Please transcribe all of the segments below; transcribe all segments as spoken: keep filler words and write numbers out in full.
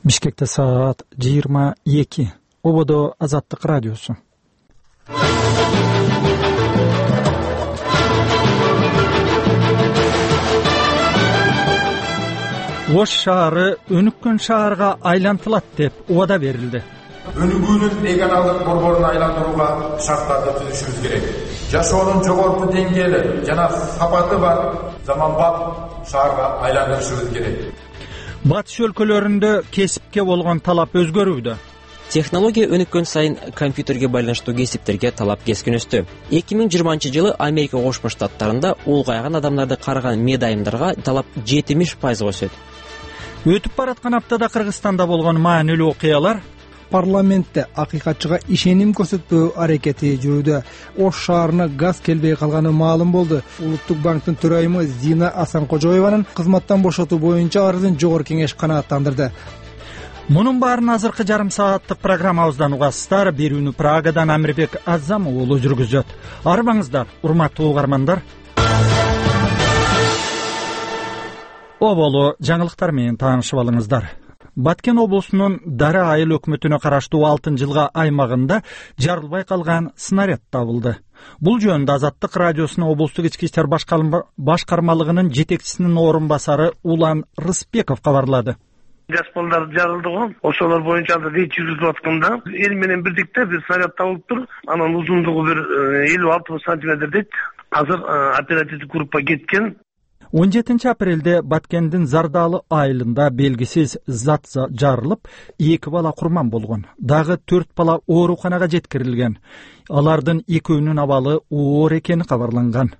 Бишкекте саат жыйырма эки. Ободо Азаттык радиосу. Ош шаары өнүккөн шаарга айлантылат деп убада берилди. Өнүгүүнүн регионалдык борборун айландырууга шарттарды түзүшүбүз керек. Жашоонун жогорку деңгээли жана сапаты бар заманбап шаарга айландырышыбыз керек. Батыш өлкөлөрүндө кесипке болгон талап өзгөрүүдө. Технология өнүккөн сайын компьютерге байланыштуу кесиптерге талап кескин өстү. эки миң жыйырманчы жылы Америка Кошмо Штаттарында улгайган адамдарды карыган медайымдарга талап жетимиш пайызга өсөт. Өтүп бараткан аптада Кыргызстанда болгон маанилүү окуялар. Парламентте акыйкатчыга ишеним көрсөтпөө аракети жүрүүдө. Ош шаарына газ келбей калганы маалым болду. Улуттук банктын төрайымы Зина Асанкожоеванын кызматтан бошотуу боюнча арызын жогорку кеңеш канааттандырды. Мунун баарын азыркы жарым сааттык программабыздан угасыздар. Берүүнү Прагадан Амирбек Азам уулу жүргүзөт. Арбаңыздар, урматтуу угармандар. Оболу жаңылыктар менен таанышып алыңыздар. Баткен облусунун Дара айыл өкмөтүнө караштуу алтын жылга аймагында жарылбай калган снаряд табылды. Бул жөнүндө Азаттык радиосунун облустук ички иштер башкармалыгынын жетекчисинин орун басары Улан Рыспеков кабарлады. Жаш балдар жарылды го. Ошолор боюнча да рейд жүргүзүлүп атканда эл менен бирдикте бир снаряд табылыптыр. Анын узундугу бир элүү алты сантиметр дейт. Азыр оперативдик группа кеткен. он жетинчи апрелде Баткендин Зардалы айылында белгисиз зат жарылып, эки бала курман болгон. Дагы төрт бала ооруканага жеткирилген. Алардын экөөнүн абалы оор экени кабарланган.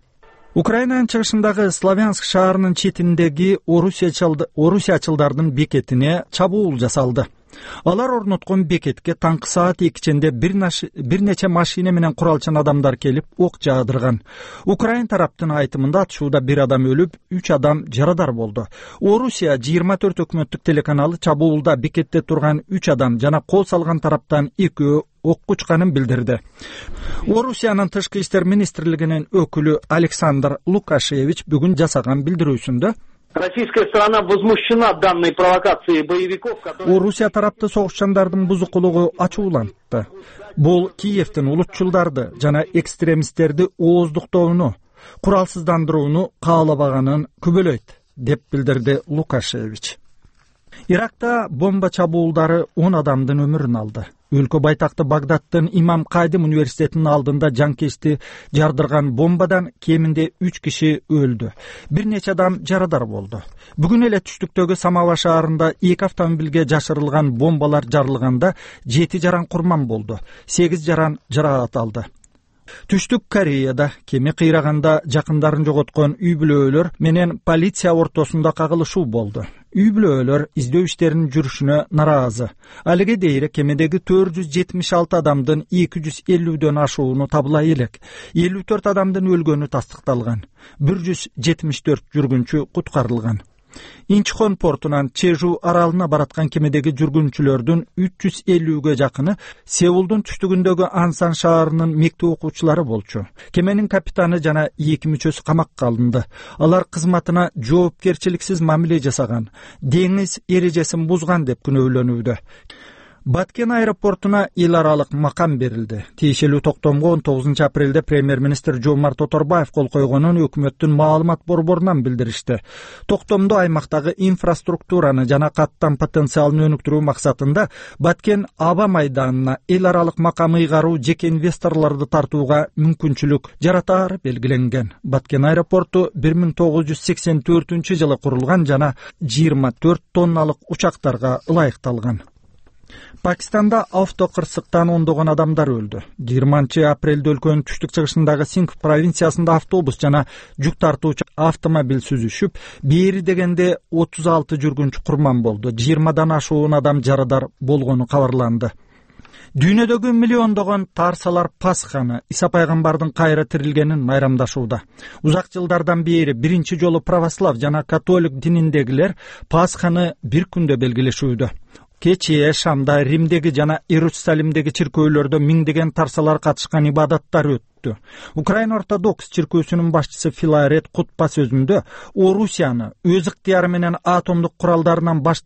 Украинанын чыгышындагы Славянск шаарынын четиндеги орусиячылдардын бекетине чабуул жасалды. Алар орноткон бекетке таңкы саат экичинде бир нече машина менен куралчан адамдар келип ок жаадырган. Украин тараптын айтымында атышууда бир адам өлүп, үч адам жарадар болду. Орусия жыйырма төрт өкмөттүк телеканалы чабуулда бекетте турган үч адам жана кол салган тараптан экөө окко учканын билдирди. Орусиянын тышкы иштер министрлигинин өкүлү Александр Лукашевич бүгүн жасаган билдирүүсүндө Российская сторона возмущена данной провокацией боевиков, которые... Орусия тарапты согушчандардын бузукулугу ачуулантты. Бул Киевдин улутчулдарды жана экстремисттерди ооздуктоону, куралсыздандырууну каалабаганын күбөлөйт, деп билдирди Лукашевич. Иракта бомба чабуулдары он адамдын өмүрүн алды. Өлкө байтакты Багдадтын Имам Кайдым университетинин алдында жанкечти жардырган бомбадан кеминде үч киши өлдү. Бир нече адам жарадар болду. Бүгүн эле түштүктөгү Самава шаарында эки автомобилге жашырылган бомбалар жарылганда жети жаран курман болду. сегиз жаран жаракат алды. Түштүк Кореяда кеме кыйраганда жакындарын жоготкон үй бүлөлөр менен полиция ортосунда кагылышуу болду. Үй бүлөлөр издөө иштеринин жүрүшүнө нараазы. Алиге дейре кемедеги төрт жүз жетимиш алты адамдын эки жүз элүүдөн ашууну табыла элек. элүү төрт адамдын өлгөнү тастыкталган. бир жүз жетимиш төрт жүргүнчү куткарылган. Инчхон портунан Чежу аралына бараткан кемедеги жүргүнчүлөрдүн үч жүз элүүгө жакыны Сеулдун түштүгүндөгү Ансан шаарынын мектеп окуучулары болчу. Кеменин капитаны жана эки мүчөсү камакка алынды. Алар кызматына жоопкерчиликсиз мамиле жасаган, деңиз эрежесин бузган деп күнөөлөнүүдө. Баткен аэропортуна эл аралык макам берилди. Тиешелүү токтомго он тогузунчу апрелде премьер-министр Жомарт Оторбаев кол койгонун өкмөттүн маалымат борборунан билдиришти. Токтомдо аймактагы инфраструктураны жана каттам потенциалын өнүктүрүү максатында Баткен аба майданына эл аралык макам ыйгаруу жеке инвесторлорду тартууга мүмкүнчүлүк жаратаары белгиленген. Баткен аэропорту бир миң тогуз жүз сексен төртүнчү жылы курулган жана жыйырма төрт тонналык учактарга ылайыкталган. Пакистанда автокырсыктан ондогон адамдар өлдү. жыйырманчы апрелде өлкөнүн түштүк чыгышындагы Сингх провинциясында автобус жана жүк тартуучу автомобиль сүзүшүп, бери дегенде отуз алты жүргүнчү курман болду. жыйырмадан ашуун адам жарадар болгону кабарланды. Дүйнөдөгү миллиондогон тарсалар Пасханы, Иса пайгамбардын кайра тирилгенин майрамдашууда. Узак жылдардан бери биринчи жолу православ жана католик дининдегилер Пасханы бир күндө белгилешүүдө. Кечээ Шамда, Римдеги жана Иерусалимдеги чиркөөлөрдө миңдеген тарсалар катышкан ибадаттар өттү. Украин ортодокс чиркөөсүнүн башчысы Филарет кутба сөзүндө Орусияны өз ыктыяры менен атомдук куралдарынан баш